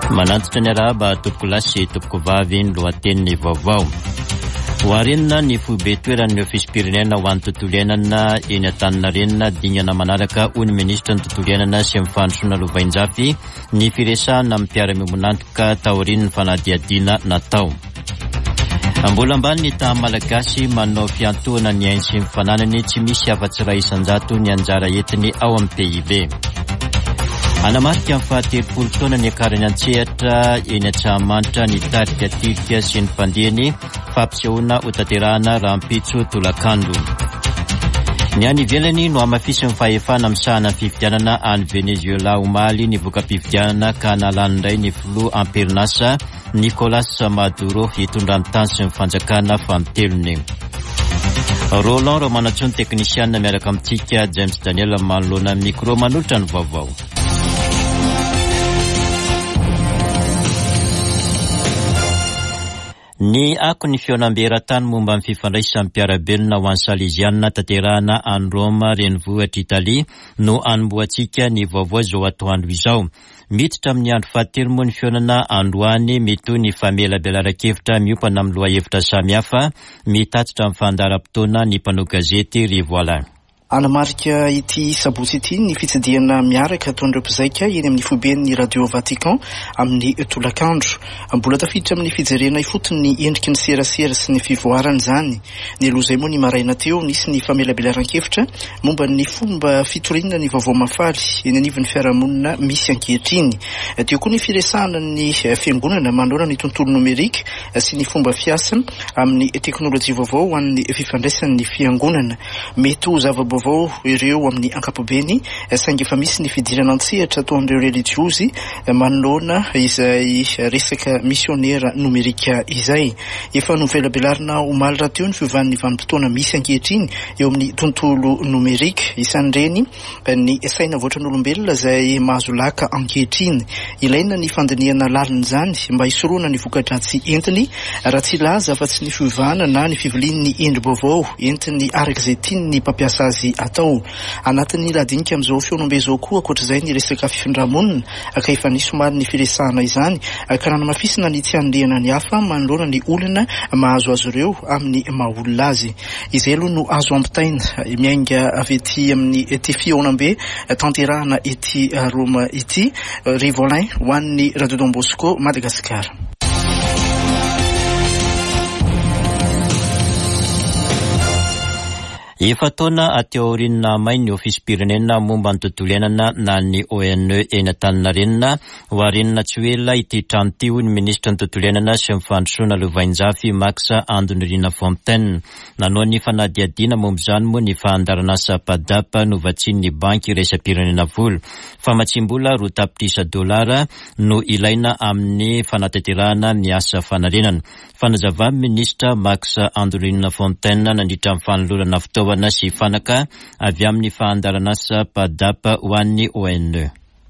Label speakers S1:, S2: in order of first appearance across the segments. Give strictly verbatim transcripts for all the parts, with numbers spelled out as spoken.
S1: Manantitra ny arahaba tompokolahy sy tompokovavy. Ny lohatenin'ny vaovao: hoarenina ny foibe toeran'ny ofisim-pirenena ho an'ny tontolo iainana eny Antaninarenina. Dingana manaraka, hoy ny ministra ny tontolo iainana sy ny fandrosoana lovainjafy, ny firesahana amin'ny mpiara-miombon'antoka taorian'ny fanadihadiana natao. Mbola ambany ny taha Malagasy manao fiantohana ny ainy sy ny fananany, tsy misy afa-tsy iray isanjato ny anjara entiny ao amin'ny P I B. Anamarika ny fahatelopolo taona niakarany an-tsehatra eny Antsahamanitra ny tarika Tirika sy ny mpandihany, fampisehoana ho tanterahana rahampitso tolakandro. Ny any ivelany no hamafisin'ny fahefana misahana ny fifidianana any Venezuela omaly ny voka-pifidianana ka nalany indray ny filoha amperinasa Nicolas Maduro hitondra ny tany sy ny fanjakana fanintelony. Roland Romanantsoa ny teknisianina miaraka amintsika, James Daniel manoloana micro manolotra ny vaovao. Ny ako ny fihaonambe eran-tany momba ny fifandraisan'ny mpiara-belona ho an'ny Salezianina tanterahana any Roma, renivohitra Italia, no anombohantsika ny vaovao izao atoandro izao. Miditra amin'ny andro fahatelo moa ny fihaonana androany, mitohy ny famelabelaran-kevitra miompana amin'ny lohahevitra samihafa. Mitatitra amin'ny fandaharam-potoana ny mpanao gazety Rivoalain.
S2: Anamarika ity sabotsy ity ny fitsidihana miaraka ataon'ireo mpizaika eny amin'ny foiben'ny Radio Vatican amin'ny tolakandro. Mbola tafiditra amin'ny fijerena ifotony ny endriky ny serasera sy ny fivoarana izany. Ny aloha izay moa, ny maraina teo, nisy ny famelabelaran-kevitra momba ny fomba fitoriana ny vaovao mahafaly eny anivon'ny fiarahamonina misy ankehitriny. Teo koa ny firesahana ny fiangonana manoloana ny tontolo nomerika sy ny fomba fiasa amin'ny teknôlôjia vaovao ho an'ny fifandraisan'ny fiangonana. Mety ho zava-baovao ireo amin'ny ankapobeny, saingy efa misy ny fidirana an-tsehatra ataon'ireo relijiozy manoloana izay resaka misionera nomerika izay. Efa novelabelarina omaly raha teo ny fiovan'ny vanim-potoana misy ankehitriny eo amin'ny tontolo nomerika, isan'ireny ny saina voatran'olombelona izay mahazo laka ankehitriny. Ilaina ny fandinihana lalina izany mba hisorohana ny voka-dratsy entiny, raha tsy laza fa tsy ny fiovana na ny fivilian'ny endri-baovao entiny araka izay tiany mpampiasa azy atao. Anatin'ny lahadinika amin'izao fihaonambe izao koa ankoatr'izay ny resaka fifindramonina, ka efa nisy omaly ny firesahana izany ka nanamafisina ny tsy hanilihana ny hafa manoloana ny olona mahazo azy ireo amin'ny maha olona azy. Izay aloha no azo ampitaina miainga avy ety amin'ny ety fihaonambe tanterahana ety Roma ity. Rivolin ho an'ny Radio Don Bosco Madagasikara.
S1: Efa-taona ateo aorian'ny nahamay ny ofisim-pirenena momba ny tontolo iainana na ny O N E eny Antaninarenina, hoarenina tsy ho ela ity trano ity, hoy ny ministra ny tontolo iainana sy ny fandrosoana lovainjafy Max Andonirina Fontaine. Nanao ny fanadihadiana momba izany moa ny fandaharanasa PADAP novatsian'ny banky iraisam-pirenena vola. Famatsim-bola roa tapitrisa dolara no ilaina amin'ny fanatanterahana ny asa fanarenana. Fanazavan'ny ministra Max Andonirina Fontaine nandritra ny fanolorana fitaovana sy fanaka avy amin'ny fandaharanasa PADAP ho an'ny O N E.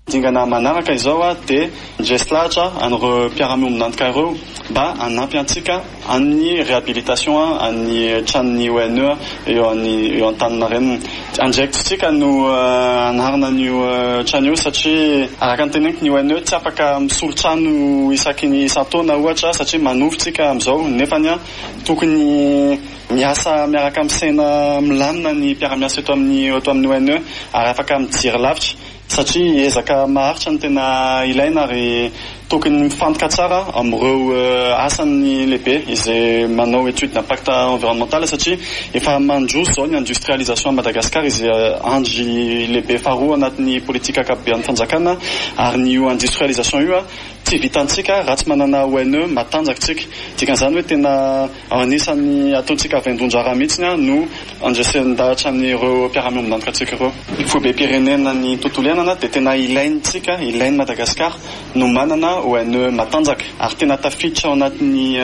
S3: Dingana manaraka izao a dia ndresy lahatra an'ireo mpiara-miombon'antoka ireo mba hanampy antsika amin'ny réhabilitation any tranon'ny O N E eo any eo Antaninarenina. Andraikitsika no anarina an'io trano io satria araka ny teneniko, ny O N E tsy afaka misolo trano isaky ny isan-taona ohatra satria manovo tsika amin'izao, nefany a tokony miasa miaraka amin'ny saina milamina ny mpiara-miasa eto amin'ny eto amin'ny O N E ary afaka mijery lavitra satria ezaka maharitra no tena ilaina ary tokony mifantoka tsara amin'ireo asany lehibe izay manao étude d'impact environnemental satria efa mandroso zao ny industrialisation à Madagascar, izay andry lehibe faharoa anatin'ny politika ankapoben'ny fanjakana, ary ny io industrialisation io a tsy vitantsika raha tsy manana O N E matanjaka tsika. Dikan'izany hoe tena anisan'ny ataontsika vaindohan-draharaha mihitsiny a no andresen-dahatra an'ireo mpiara-miombon'antoka antsika ireo. Foibe-pirenena ny tontolo iainana dia tena ilaintsika, ilain'i Madagasikara no manana O N E matanjaka ary tena tafiditra ao anatin'ny,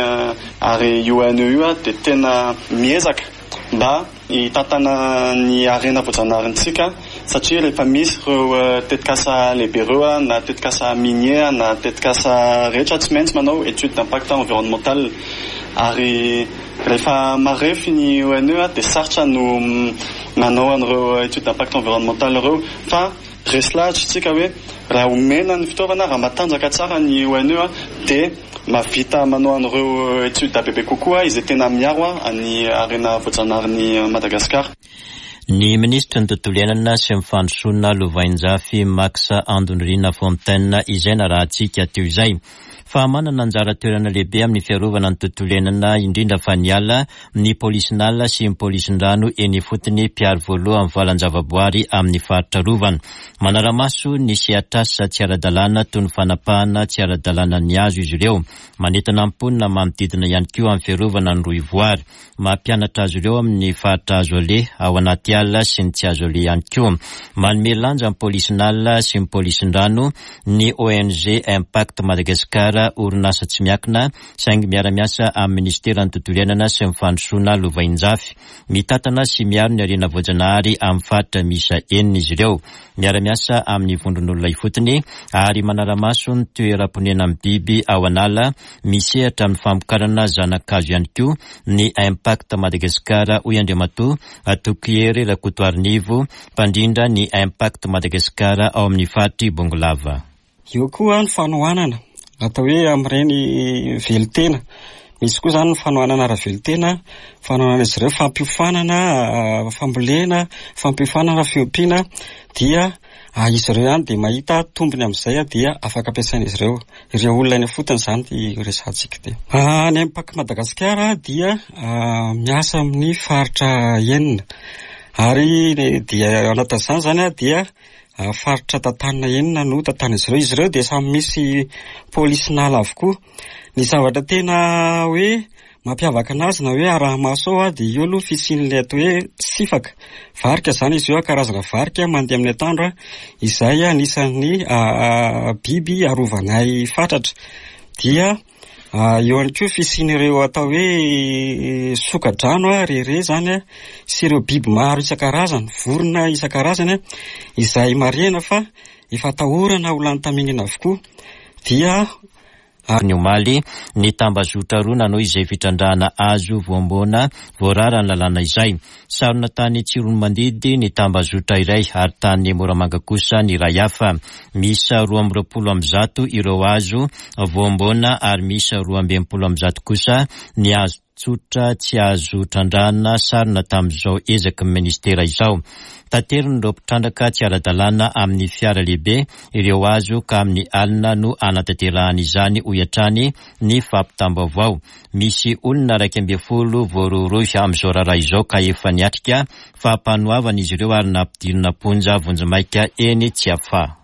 S3: ary io O N E io a dia tena miezaka mba hitantana ny harena voajanaharintsika satria rehefa misy ireo tetikasa lehibe ireo a na tetikasa minier na tetikasa rehetra, tsy maintsy manao étude d'impact environnemental, ary rehefa marefo ny O N E a dia sarotra no manao an'ireo étude d'impact environnemental ireo fa Resy lahatra tsika hoe raha omena ny fitaovana, raha matanjaka tsara ny O N E dia mahavita manao an'ireo étude bebe kokoa izay tena miaro ny harena voajanahary Madagasikara.
S1: Ny minisitry ny tontolo iainana sy ny fandrosoana lovainjafy, Max Andonirina Fontaine, izay narahantsika teo izay. Fa manana anjara toerana lehibe amin'ny fiarovana ny tontolo iainana, indrindra fa ny ala, ny polisinala sy ny polisin-drano eny ifotony, mpiaro voalohany valan-javaboary amin'ny faritra arovana. Manara-maso ny sehatrasa tsy ara-dalàna toy ny fanapahana tsy ara-dalàna ny hazo izy ireo. Manentana mponina manodidina ihany koa amin'ny fiarovana ny rohivoary. Mampianatra azy ireo amin'ny faritra azo aleha ao anaty ala sy ny tsy azo aleha ihany koa. Manome lanja ny polisinala sy ny polisin-drano ny O N G Impact Madagascar, orinasa tsy miankina saingy miara-miasa amin'ny ministeran'ny tontolo iainana sy ny fandrosoana lovainjafy. Mitantana sy miaro ny harena voajanahary amin'ny faritra miisa enina izy ireo. Miara-miasa amin'ny vondron'olona ifotony ary manara-maso ny toeram-ponenan'ny biby ao an'ala. Misehatra amin'ny famokarana zana-kazo ihany koa ny Impact Madagascar, hoy Andriamatoa Tokohery Rakotoarinivo, mpandrindra ny Impact Madagascar ao amin'ny faritry Bongolava.
S4: Eo koa ny fanohanana atao hoe amin'ireny velon-tena. Misy koa zany ny fanohanana ara-velon-tena, fanohanana izy ireo, fampiofanana fambolena, fampiofanana fiompiana, dia izy ireo ihany dia mahita tombony amin'izay, dia afaka ampiasaina izy ireo, ireo olona eny fotony zany ty resahantsika ty. Ny Impact Madagasikara dia miasa amin'ny faritra enina ary dia anatin'izany zany a dia faritra tantanina enina no tantan'izy ireo. Izy ireo dia samy misy polisinala avokoa. Ny zavatra tena hoe mampiavaka anazy na hoe araha-maso ao a dia eo aloha fisian'ilay atao hoe sifaka, varika zany izy io, karazana varika mandeha amin'ny atoandro, izay anisan'ny biby arovanay fatratra. Dia eo ihany koa fisian'ireo atao hoe sokadrano a rere zany a sy ireo biby maro isan-karazany, vorona isan-karazany a izay marihana fa efa atahorana ho lany tamingana avokoa. Dia
S1: ny omaly ny tambazotra roa nanao izay fitrandrahana hazo voamboana voarara ny lalàna izay. Sarona tany Tsiroanomandidy ny tambazotra iray ary tany Moramanga kosa ny iray hafa. Misy roa amby roapolo amby zato ireo hazo voamboana ary misy roa amby enimpolo amby zato kosa ny hazo tsotra tsy azo trandrahana sarona tamin'izao ezaky ny ministera izao. Taterin'ireo mpitrandraka tsy ara-dalàna amin'ny fiara lehibe ireo hazo ka amin'ny alina no anatanterahana izany, hoy hatrany ny fampitam-baovao. Misy olona iraika ambin'ny folo voarohirohy amin'izao raharaha izao ka efa niatrika fampanoavana izy ireo ary nampidirina am-ponja vonjimaika eny Tsiafahy.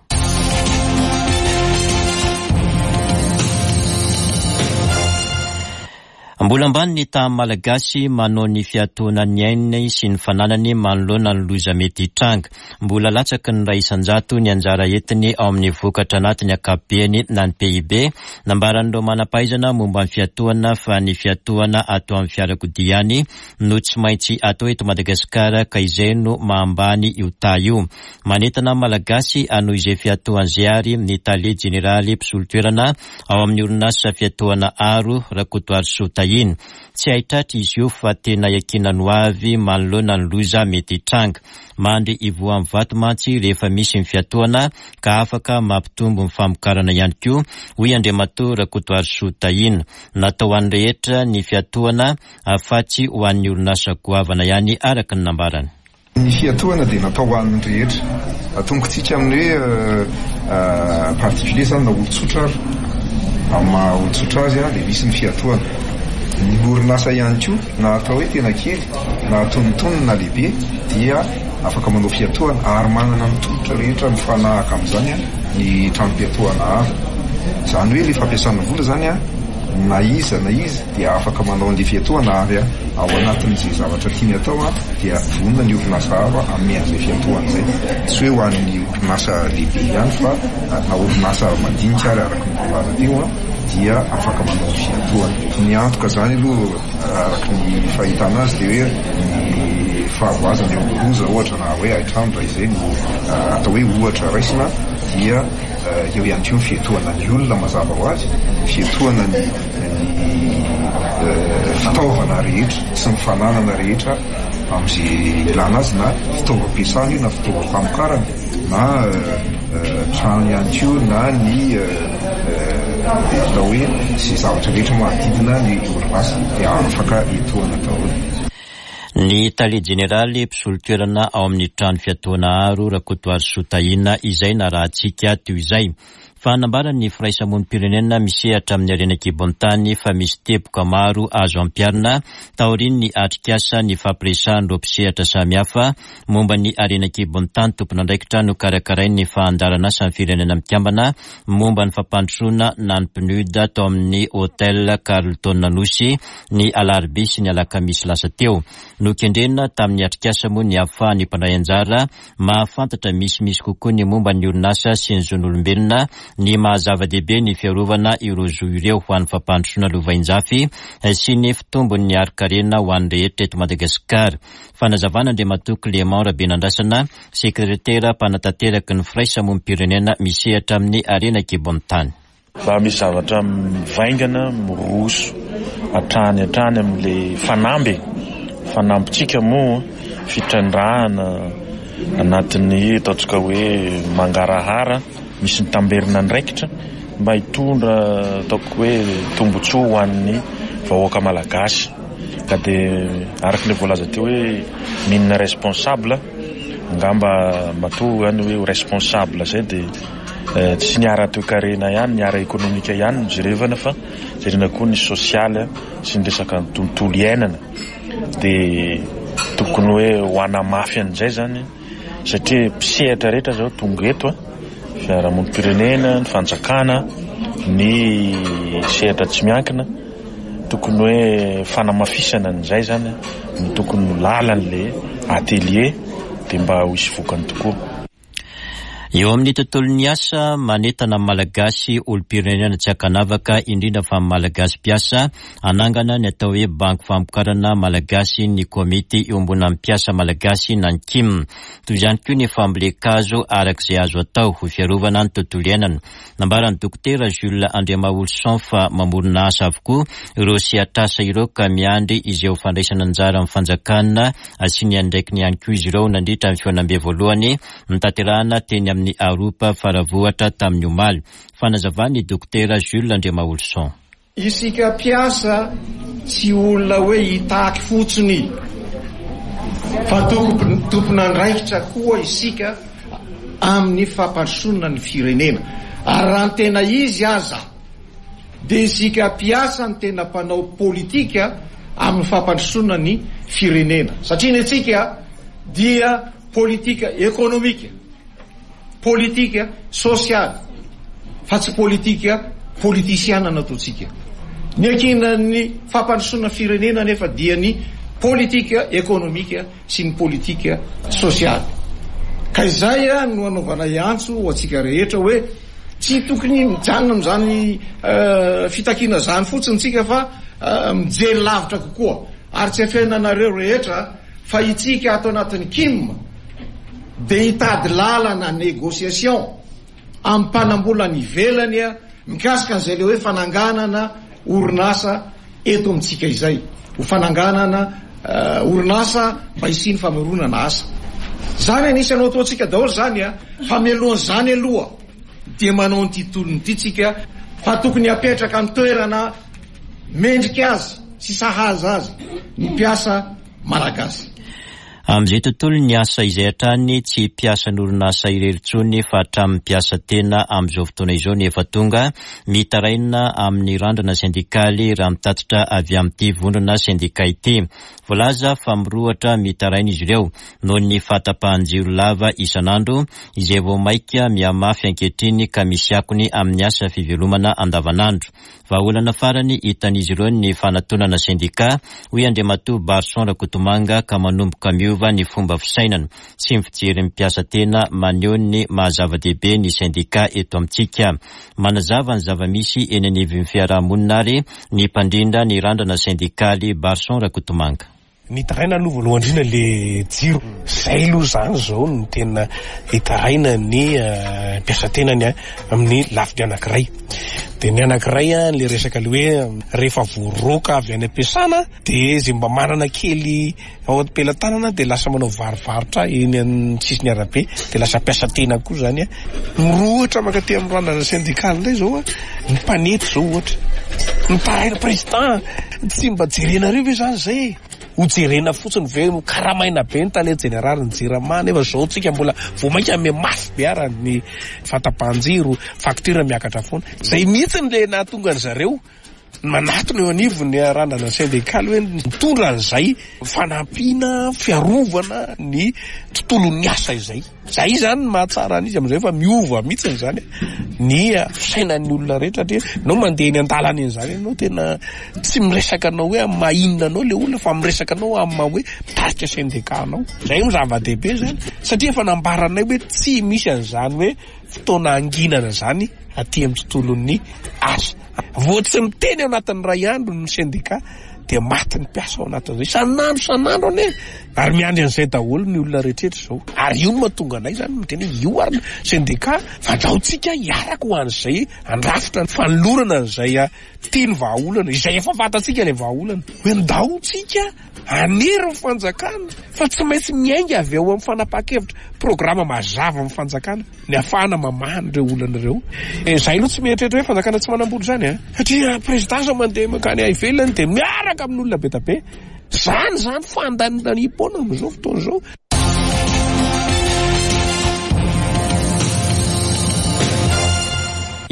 S1: Mbola ambany ny tahan'ny Malagasy manao ny fiatoana ny ainy sy ny fananany manoloana ny loza mety hitranga. Mbola latsaky ny iray isanjato ny anjara entiny ao amin'ny vokatra anatiny ankapobeny na ny P I B. Nambaran'ireo manam-pahaizana momba ny fiatoana fa ny fiatoana atao amin'ny fiarakodia ihany no tsy maintsy atao eto Madagasikara, ka izay no mahambany io taha io. Manentana Malagasy hanohy izay fiatoan'izay ary ny tale jeneraly mpisolo toerana ao amin'ny orinasa fiatoana Aro, Rakotoarisoa Tahina. Tsy haitratra izy io fa tena iankinan'ny ho avy manoloana ny loza mety hitranga. Mandry ivohan'ny vato mantsy rehefa misy ny fiatoana ka afaka mampitombo ny famokarana ihany koa, hoy Andriamatoa Rakotoarisoa Tahina. Natao ho an'ny rehetra ny fiatoana fa tsy ho an'ny orinasa goavana ihany, araka ny nambarany.
S5: Ny fiatohana dia natao ho an'ny rehetra. Atombokontsika amin'ny hoe particulier zany na olon-tsotra ary amin'ny maha olon-tsotra azy a dia misy ny fiatohana. Ny orinasa ihany koa, na atao hoe tena kely na antonontonony na lehibe, dia afaka manao fiatohana ary manana ny tolotra rehetra mifanahaka amin'izany a ny tranom-piatohana Aro. Zany hoe le fampiasana vola zany a na iza na iza dia afaka manao an'le fiatohana ary a ao anatin'izay zavatra tiany atao a dia vonona ny orinasa Aro hanome an'izay fiatohana izay. Tsy hoe ho an'ny orinasa lehibe ihany fa na orinasa madinika ary, araka ny voalaza teo a dia afaka manao ny fiatohana. Ny antoka zany aloha, araka ny fahitana azy, dia hoe ny fahavoazana eo amin'ny loza ohatra na hoe haitrano raha izay no atao hoe ohatra raisina, dia eo ihany koa ny fiatohana ny olona, mazava ho azy, fiatohana ny ny fitaovana rehetra sy ny fananana rehetra amin'izay ilana azy, na fitaovam-piasana io na fitaovam-pamokarana. na trano ihany koa na ny atao hoe sy zavatra rehetra manodidina ny orinasa dia afaka etoana daholo.
S1: Ny tale jeneraly mpisolo toerana ao amin'ny trano fiatoana Aro Rakotoarisoa Tahina izay narahantsika teo izay. Fa nambaran'ny firaisamonim-pirenena misehatra amin'ny harena an-kibon'ny tany fa misy teboka maro azo ampiharina taorian'ny atrikasa ny fampiresahan'ireo mpisehatra samihafa momba ny harena an-kibon'ny tany tompon'andraikitra no karakarain'ny fandaharan'asan'ny firenena mikambana momba ny fampandrosoana na ny P N U D tao amin'ny Hotel Carlton Anosy ny alarobia sy ny alakamisy lasa teo. Nokendrena tamin'ny atrikasa moa ny ahafahan'ny mpandray anjara mahafantatra misimisy kokoa ny momba ny orinasa sy ny zon'olombelona, ny mahazava-dehibe ny fiarovana ireo zo ireo ho an'ny fampandrosoana lovainjafy sy ny fitombon'ny harin-karena ho an'ny rehetra eto Madagasikara. Fanazavana Andriamatoa Clément Rabenandrasana, sekretera mpanatanteraka ny firaisamonim-pirenena misehatra amin'ny harena an-kibon'ny tany.
S6: Fa misy zavatra mivaingana miroso hatrany hatrany amin'le fanamby fanampitsika moa fitrandrahana anatin'ny ataontsika hoe mangarahara, misy ny tamberina andraikitra mba hitondra ataoko hoe tombotsoa ho an'ny vahoaka malagasy. Ka de araka le voalaza teo hoe mine responsable angamba matoa zany hoe responsable zay de tsy ny ara-toekarena ihany, ny ara-ekonomika ihany no jerevana, fa jerena koa ny sosialy sy ny resaka ny tontolo iainana. De tokony hoe ho anamafy an'izay zany satria mpisehatra rehetra zao tonga eto a fiarahamonim-pirenena, ny fanjakana, ny sehatra tsy miankina, tokony hoe fanamafisana an'izay zany no tokony ho lalan'le atelier de mba ho isy vokany tokoa.
S1: Eo amin'ny tontolon'ny asa, manentana ny Malagasy olom-pirenena tsy ankanavaka, indrindra fa ny Malagasy mpiasa, anangana ny atao hoe banky famokarana malagasy ny komity iombonan'ny mpiasa malagasy na ny K I M. Toy izany koa ny fambolen-kazo arak'izay azo atao ho fiarovana ny tontolo iainana. Nambaran'ny dokotera Jules Andriamaholison fa mamorona asa avokoa ireo sehatr'asa ireo ka miandry izay ho fandraisana anjara amin'ny fanjakana sy ny andraikiny ihany koa izy ireo nandritra ny fihaonambe voalohany notanterahana teny amin'ny Aropa Faravohitra tamin'ny omaly. Fanazavany dokotera Jules Andriamaholison.
S7: Isika mpiasa tsy olona hoe hitaky fotsiny fa tokony tompon'andraikitra koa isika amin'ny fampandrosoana ny firenena. Ary raha ny tena izy aza de isika mpiasa ny tena mpanao politika amin'ny fampandrosoana ny firenena, satria ny atsika dia politika ekonomika, politika sosialy, fa tsy politika politisiana nataontsika. Ny ankinan'ny fampandrosoana firenena nefa dia ny politika ekonomika sy ny politika sosialy. Ka izay a no anaovana iantso ho atsika rehetra hoe tsy tokony mijanona am'izany fitakiana zany fotsiny tsika fa mijery lavitra kokoa. Ary tsy afenanareo rehetra fa itsika ato anatin'ny K I M de hitady lalana négociation amin'ny mpanambola ny ivelany a mikasika an'izay le hoe fananganana orinasa eto amintsika, izay ho fananganana orinasa mba hisian'ny famoronana asa. Zany anisanao ataontsika daholo zany a fa mialohan'izany aloha dia manao nyity tolony ity tsika fa tokony apetraka ny toerana mendrika azy sy sahaza azy ny mpiasa malagasy.
S1: Amin'izay tontolo ny asa izay hatrany, tsy mpiasa n'orinasa irery intsony fa hatramin'ny mpiasa tena amin'izao fotoana izao ny efa tonga mitaraina amin'ny Randrana sendikaly, raha mitatitra avy amin'ity vondrona sendika ity. Voalaza fa mirohotra mitaraina izy ireo noho ny fahatapahan-jiro lava isan'andro izay vao maika mihamafy ankehitriny ka misy akony amin'ny asa fivelomana andavanandro. Vahaolana farany hitan'izy ireo ny fanatonana sendika, hoy Andriamatoa Barson Rakotomanga, ka manomboka miova ny fomba fisainana sy ny fijery mpiasa tena maneho ny mahazava-dehibe ny sendika eto amintsika. Manazava ny zava-misy eny anivon'ny fiarahamonina ary ny mpandrindra ny Randrana sendikaly Barson Rakotomanga.
S8: Nitaraina aloha voalohany indrindra le jiro zay aloha zany zao no tena hitaraina ny mpiasa tenany a amin'ny lafiny anankiray. Dia ny anankiray a, le resaka le hoe rehefa voaroaka avy any am-piasana dia zay mba manana kely ao am-pelatanana dia lasa manao varovarotra eny amin'ny sisiny arabe dia lasa mpiasa tena koa zany a. Mirohotra mankaty amin'ny randrana syndikaly indray zao a, ny mpanety zao ohatra. Mitaraina président, tsy mba jerenareo ve zany zay? Ho jerena fotsiny ve karamaina be ny tale jeneraly ny Jirama nefa zao tsika mbola vao mainka mihamafy be ara ny fahatapahan-jiro, facture miakatra foana. Zay mihitsy le nahatonga an zareo manatona eo anivon'ny randrana syndikaly hoe mitondra an'izay fanampiana fiarovana ny tontolon'ny asa izay. Zay zany no mahatsara an'izy amin'izay fa miova mihitsy zany ny fisainan'ny olona rehetra satria anao mandeha eny an-dalana eny zany ianao tena tsy miresaka anao hoe amin'ny maha inona anao le olona fa miresaka anao amin'ny maha hoe mitarika syndicat anao. Zay no zava-dehibe zany satria efa nambaranay hoe tsy misy an'izany hoe fotoana anginana zany aty amin'ny tontolon'ny asa. Vao tsy miteny ao anatin'ny iray andro ny syndicat dia maty ny mpiasa ao anatin'izay. Isan'andro isan'andro anie ary miandry an'izay daholo ny olona rehetrarehetra izao. Ary io no mahatonga anay zany miteny hoe io ary ny syndicat fandraontsika hiaraka ho an'izay andrafitra ny fanolorana an'izay tiany vahaolana, izay efa fantatsika ilay vahaolana. Hoe ndaontsika hanery ny fanjakana fa tsy maintsy miainga avy ao amin'ny fanapahan-kevitra programa mazava amin'ny fanjakana ny ahafahana mamaha an'ireo olana ireo. Izay aloha tsy mieritreritra hoe fanjakana tsy manam-bola izany a, satria président zao mandeha mankany ivelany dia miaraka amin'olona be dia be. Zany zany fandanindaniam-poana amin'izao fotoana izao.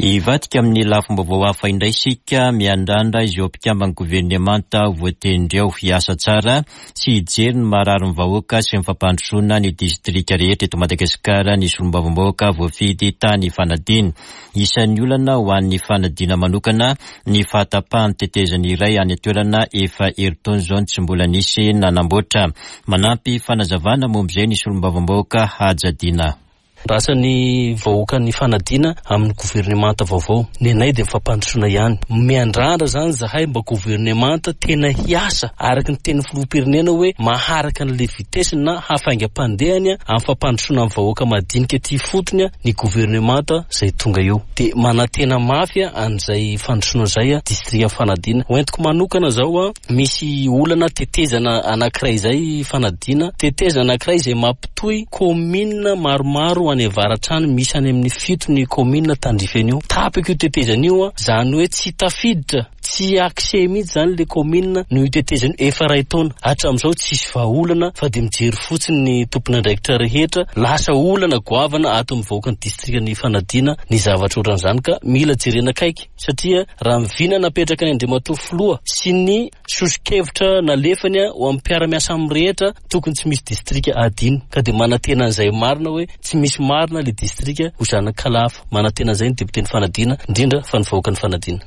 S1: Hivadika amin'ny lafim-baovao hafa indray isika, miandrandra izao mpikamban'ny governemanta voatendry ao hiasa tsara sy hijery ny mararin'ny vahoaka sy ny fampandrosoana ny distrika rehetra eto Madagasikara ny solombavambahoaka voafidy tany Ifanadiana. Isan'ny olana ho an'ny Ifanadiana manokana ny fahatapahan'ny tetezana iray any an-toerana efa herintaona izao no tsy mbola nisy nanamboatra. Manampy fanazavana momba izay ny solombavambahoaka Haja Dina.
S9: Rasan'ny vahoakan'ny Ifanadiana amin'ny governemanta vaovao. Ny anay dia fampandrosoana ihany. Miandrandra zany zahay mba governemanta tena hiasa araka ny tenin'ny filoham-pirenena hoe maharaka an'ilay vitesse na hafaingam-pandehany amin'ny fampandrosoana ny vahoaka madinika aty ifotony ny governemanta izay tonga eo. Dia manantena mafy an'izay fandrosoana izay distrikan'ny Ifanadiana. Ho entiko manokana zao, misy olana tetezana anankiray izay Ifanadiana, tetezana anankiray izay mampitohy commune maromaro any avaratra any, misy any amin'ny fito ny commune tandrify an'io. Tapaka io tetezana io, zany hoe tsy tafiditra, tsy accès mihitsy zany le commune no io tetezana io efa iray taona. Hatramin'izao tsisy vahaolana fa dia mijery fotsiny ny tompon'andraikitra rehetra. Lasa olana goavana ato amin'ny vahoakan'ny distrikan'ny Ifanadiana ny zavatra ohatran'izany ka mila jerena akaiky satria raha mivina napetraka ny Andriamatoa Filoha sy ny soso-kevitra nalefany ho amin'ny mpiara-miasa amin'ny rehetra, tokony tsy misy distrika adino ka dia manantena an'izay marina hoe tsy misy marina le distrika ho zanak'Kalafa. Manantena an'izay ny député ny Ifanadiana, indrindra fa ny vahoakan'ny Ifanadiana.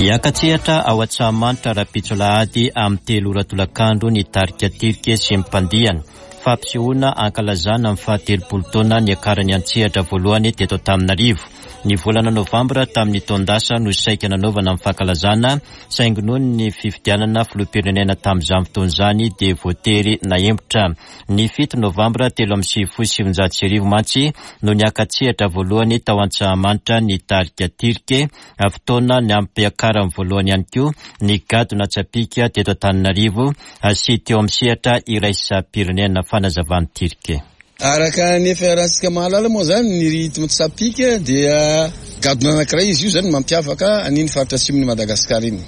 S1: Hiaka-tsehatra ao Antsahamanitra rahampitso alahady amin'ny telo ora tolakandro ny tarika Tirike sy ny mpandihana. Fampisehoana ankalazana amin'ny fahatelopolo taona niakarany an-tsehatra voalohany teto Antananarivo. Ny volana novambra tamin'ny taon-dasa no saika nanaovana amin'ny fankalazana, saingy noho ny fifidianana filoham-pirenena tamin'izany fotoana izany dia voatery nahemotra. Ny fito novambra telo amby sivifolo sy sivinjato sy arivo mantsy no niaka-tsehatra voalohany tao Antsahamanitra ny tarika Tirike, fotoana ny ampiakarany voalohany ihany koa ny gadona tsapika teto Antananarivo sy teo amin'ny sehatra iraisam-pirenena. Fanazavan'ny Tirike.
S10: Araka ny efa iarahantsika mahalala moa zany ny rythme tsapika dia gadona anankiray izy io zany mampiavaka an'iny faritra atsimon'i Madagasikara iny.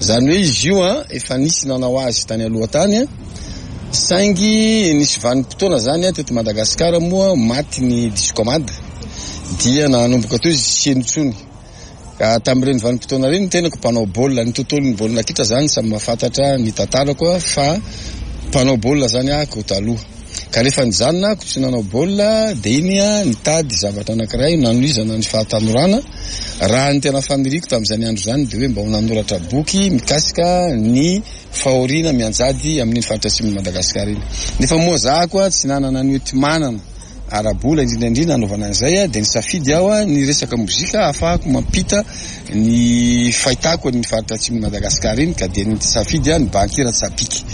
S10: Zany hoe izy io a efa nisy nanao azy tany aloha tany, saingy nisy vanim-potoana zany teto Madagasikara moa maty ny discomade dia nanomboka teo izy tsy heno intsony. Ka tamin'ireny vanim-potoana ireny ny tenako mpanao baolina, ny tontolon'ny baolina kitra zany samy mahafantatra ny tantarako fa mpanao baolina zany ahako taloha. Ka rehefa nijanona ahako tsy nanao baolina dia iny a nitady zavatra anankiray nanohizana ny fahatanorana. Raha ny tena faniriako tamin'izany andro izany dia hoe mba ho nanoratra boky mikasika ny fahoriana mianjady amin'iny faritra atsimon'i Madagasikara iny. Nefa moa za koa tsy nanana ny hoenti-manana ara-bola indrindra indrindra hanaovana an'izay, dia nisafidy aho ny resaka mozika ahafahako mampita ny fahitako ny faritra atsimon'i Madagasikara iny, ka dia nisafidy aho ny Bankira Tsapiky.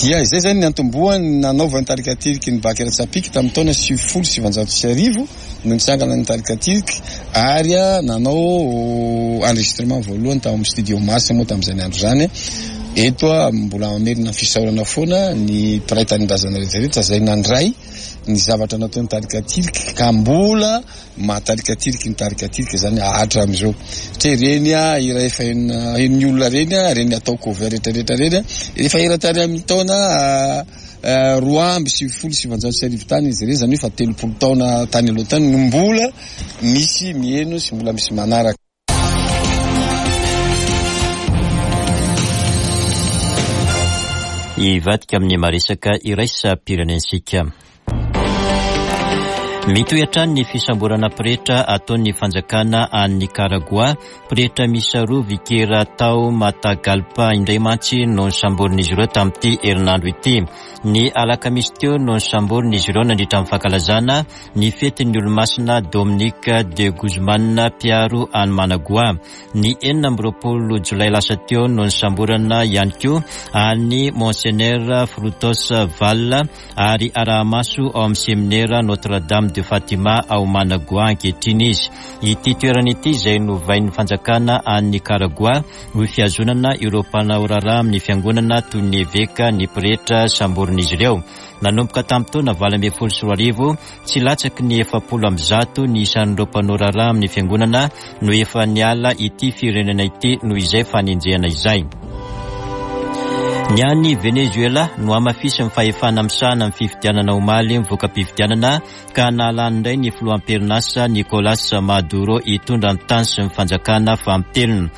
S10: Dia izay zany ny antombohany nanaovan'ny tarika Tiriky ny Bankira Tsapiky tamin'ny taona sivifolo sy sivanjato sy arivo no nitsangana ny tarika Tiriky, ary nanao enregistrement voalohany tao amin'ny studio Mars moa tamin'izany andro izany. Eto mbola mamerina ny fisaorana foana ny mpiray tanindrazana rehetra rehetra izay nandray ny zavatra nataon'ny tarika Tiriky, ka mbola mahatarika Tiriky ny tarika Tiriky zany hatramin'izao. Satria ireny hira efa henon'ny olona ireny, ireny atao cover rehetra rehetra ireny, efa hira tany amin'ny taona roa amby sivifolo sy sivanjato sy arivo tany izy ireny, zany hoe efa telopolo taona tany aloha tany no mbola misy miheno sy mbola misy manaraka.
S1: Hivadika amin'ny maresaka iraisam-pirenentsika. Mitohy hatrany ny fisamborana pretra ataon'ny fanjakana any Nicaragua. Pretra miisa roa vikera tao Matagalpa indray mantsy no nisamborin'izy ireo tamin'ity herinandro ity. Ny alakamisy teo no nisamborin'izy ireo nandritra ny fankalazana ny fetin'ny olomasina Dominique de Guzman mpiaro any Managua. Ny enina amby roapolo jolay lasa teo no nisamborana ihany koa any Monseigneur Frutos Val ary araha-maso ao amin'ny seminera Notre-Dame de Fatima ao Managua ankehitriny izy. Ity toerana ity izay novain'ny fanjakana any Nicaragua ho fihazonana ireo mpanao raharaha amin'ny fiangonana toy ny eveka ny pretra samborin'izy ireo. Nanomboka tamin'ny taona valo ambin'ny folo sy roa arivo, tsy latsaky ny efapolo amby zato ny isan'ireo mpanao raharaha amin'ny fiangonana no efa niala ity firenena ity noho izay fanenjehana izay. Ny any Venezuela no hamafisin'ny fahefana misahana amin'ny fifidianana omaly ny voka-pifidianana ka nahalany indray ny filoham-pirenasa Nicolas Maduro hitondra ny tany sy ny fanjakana fampitelona.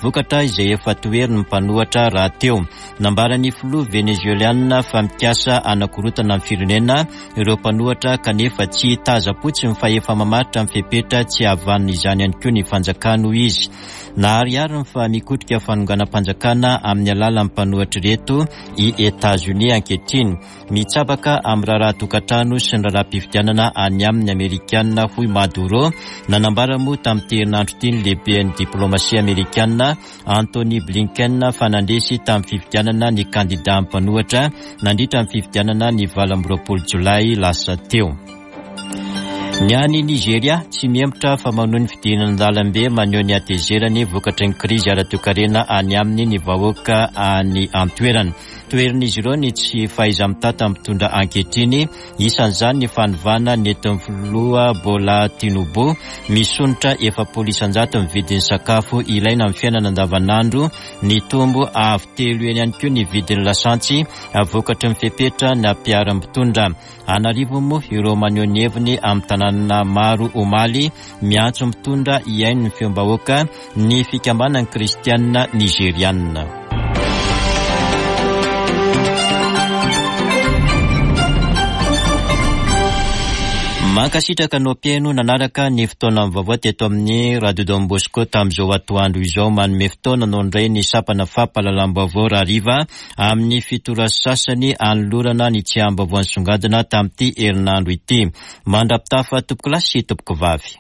S1: Vokatra izay efa toherin'ny mpanohitra rahateo. Nambaran'ny filoha venezueliana fa mikasa hanakorotana ny firenena ireo mpanohitra, kanefa tsy taza-potsy ny fahefa mamaritra ny fepetra tsy havanina izany ihany koa ny fanjakana, hoy izy. Naharihariny fa mikotrika fanonganam-panjakana amin'ny alalan'ny mpanohitra ireto i États-Unis ankehitriny. Mitsabaka amin'ny raharaha tokantrano sy ny raharaha-pifidianana any amin'ny Amerikana, hoy Maduro. Nanambara moa tamin'ity herinandro ity ny lehiben'ny diplomasia amerikana Anthony Blinken fa nandresy tamin'ny fifidianana ny kandida mpanohitra nandritra ny fifidianana ny valo amby roapolo jolay lasa teo. Ny any Nigeria tsy mihemotra fa manohy ny fidinana an-dalambe maneho ny hatezerany vokatry ny krizy ara-toekarena any aminy ny vahoaka any an-toerana. Toherin'izy ireo ny tsy fahaiza-mitantana mitondra ankehitriny, isan'izany ny fanovana nentin'ny filoha Bola Tinubu misonitra efapolo isan-jato ny vidin'ny sakafo ilaina amin'ny fiainana andavanandro, nitombo avo telo eny ihany koa ny vidin'ny lasantsy vokatry ny fepetra nampiharam-pitondra. An'arivo moa ireo maneho ny heviny amin'ny tanàna maro omaly miantso mitondra hihaino ny feom-bahoaka ny fikambanan'ny kristianina nigerianina. Mankasitraka anao mpihaino nanaraka ny fotoana vaovao teto amin'ny Radio Don Bosco tamin'izao atoandro izao. Manome fotoana anao indray ny sampana fampahalalam-baovao rahariva amin'ny fito ora sasany anolorana ny tsiaham-baovao nisongadina tamin'ity herinandro ity. Mandra-pitafa tompoko lahy sy tompoko vavy.